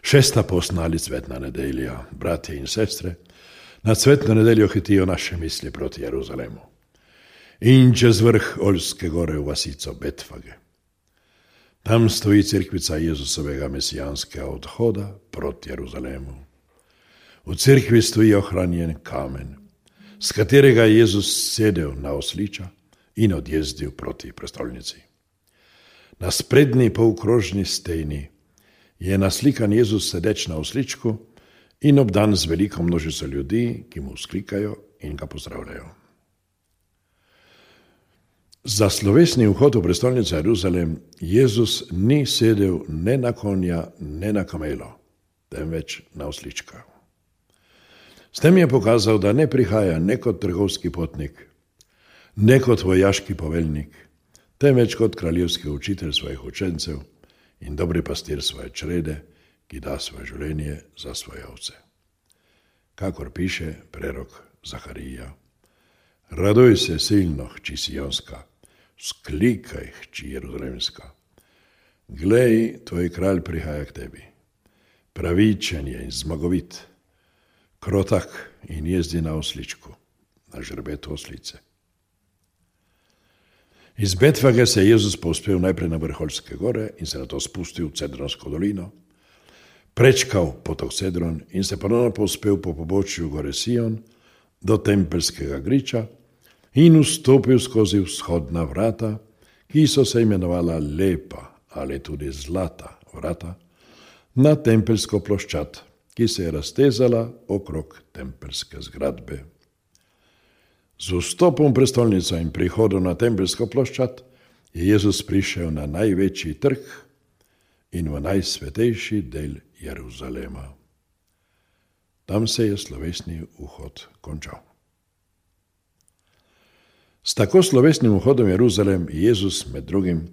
Šesta postna ali cvetna nedelja, bratje in sestre, na cvetno nedeljo hitijo naše misli proti Jeruzalemu. In čez vrh Oljske gore v vasico Betfage. Tam stoji cerkvica Jezusovega mesijanskega odhoda proti Jeruzalemu. V cerkvi stoji ohranjen kamen, s katerega je Jezus sedel na osliča in odjezdil proti prestolnici. Na sprednji polkrožni steni je naslikan Jezus sedeč na osličku in obdan z veliko množico ljudi, ki mu vzklikajo in ga pozdravljajo. Za slovesni vhod v prestolnico Jeruzalem Jezus ni sedel ne na konja, ne na kamelo, temveč na oslička. S tem je pokazal, da ne prihaja ne kot trgovski potnik, ne kot vojaški poveljnik, temveč kot kraljevski učitelj svojih učencev in dobri pastir svoje črede, ki da svoje življenje za svoje ovce. Kakor piše prerok Zaharija: Raduj se silno, hči Sionska, vzklikaj, hči Jeruzalemska. Glej, tvoj kralj prihaja k tebi. Pravičen je in zmagovit, krotak in jezdi na osličku, na žrebetu oslice. Iz Betfage se je Jezus povzpel najprej na vrh Oljske gore in se nato spustil v Cedronsko dolino, prečkal potok Cedron in se ponovno povzpel po pobočju gore Sion do Tempelskega griča in vstopil skozi vzhodna vrata, ki so se imenovala Lepa ali tudi Zlata vrata, na Tempelsko ploščad, ki se je raztezala okrog tempelske zgradbe. Z vstopom v prestolnico in prihodom na Tempelsko ploščad je Jezus prišel na največji trg in v najsvetejši del Jeruzalema. Tam se je slovesni vhod končal. S tako slovesnim vhodom v Jeruzalem je Jezus med drugim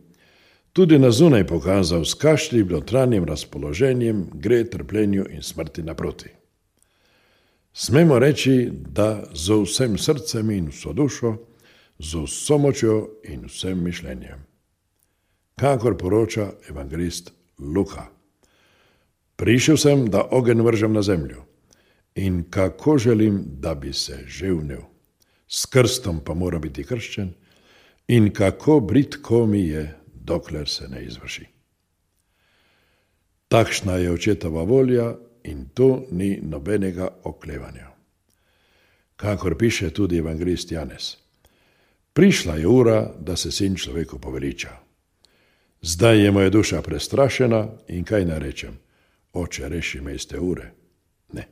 tudi na zunaj pokazal, s kakšnim notranjim razpoloženjem gre trpljenju in smrti naproti. Smemo reči, da z vsem srcem in vso dušo, z vso močjo in vsem mišljenjem. Kakor poroča evangelist Luka: Prišel sem, da ogenj vržem na zemljo, in kako želim, da bi se že vnel. S krstom pa mora biti krščen, in kako bridko mi je, dokler se ne izvrši. Takšna je očetova volja in tu ni nobenega oklevanja. Kakor piše tudi evangelist Janez: Prišla je ura, da se sin človeku poveliča. Zdaj je moja duša prestrašena in kaj naj rečem? Oče, reši me iz te ure. Ne,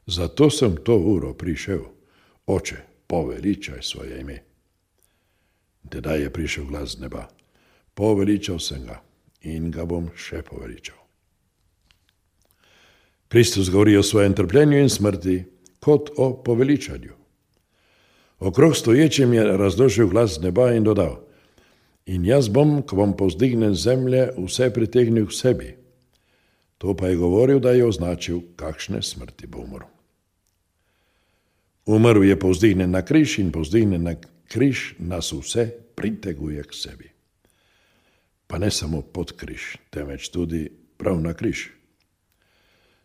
zato sem to uro prišel. Oče, poveličaj svoje ime. Tedaj je prišel glas z neba: Poveličal sem ga in ga bom še poveličal. Kristus govori o svojem trpljenju in smrti kot o poveličanju. Okrog stoječim je razložil glas z neba in dodal: In jaz bom, ko bom povzdignen z zemlje, vse pritegnil k sebi. To pa je govoril, da je označil, kakšne smrti bo umrl. Umrl je povzdignen na križ in povzdignen na križ nas vse priteguje k sebi. Pa ne samo pod križ, temveč tudi prav na križ.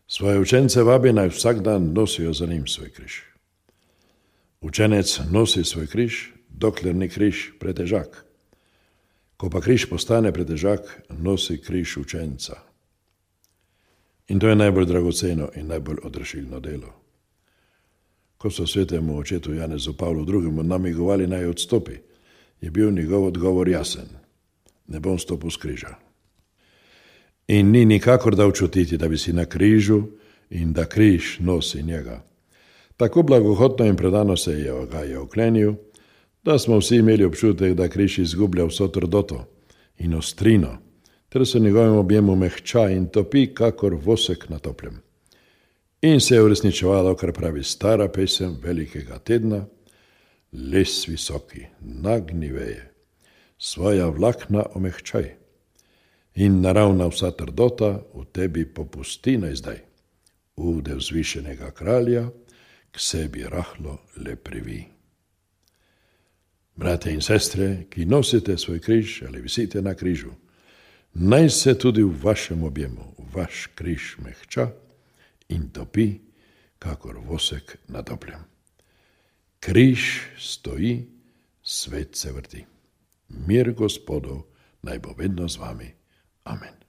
Svoje učence vabi, naj vsak dan nosijo za njim svoj križ. Učenec nosi svoj križ, dokler ni križ pretežak. Ko pa križ postane pretežak, nosi križ učenca. In to je najbolj dragoceno in najbolj odrešilno delo. Ko so svetemu očetu Janezu Pavlu II. Namigovali naj odstopi, je bil njegov odgovor jasen: Ne bom stopil s križa. In ni nikakor dal čutiti, da bi si na križu in da križ nosi njega. Tako blagohotno in predano se je oklenil, da smo vsi imeli občutek, da križ izgublja vso trdoto in ostrino, ter se njegovem objemu mehča in topi, kakor vosek na toplem. In se je uresničevalo, kar pravi stara pesem velikega tedna: Les visoki, nagni veje, svoja vlakna omehčaj, in naravna vsa trdota v tebi popusti naj zdaj. Ude vzvišenega kralja k sebi rahlo le privi. Brate in sestre, ki nosite svoj križ ali visite na križu, naj se tudi v vašem objemu, v vaš križ mehča in topi, kakor vosek nad opljem. Križ stoji, svet se vrti. Mir Gospodov naj bo vedno z vami. Amen.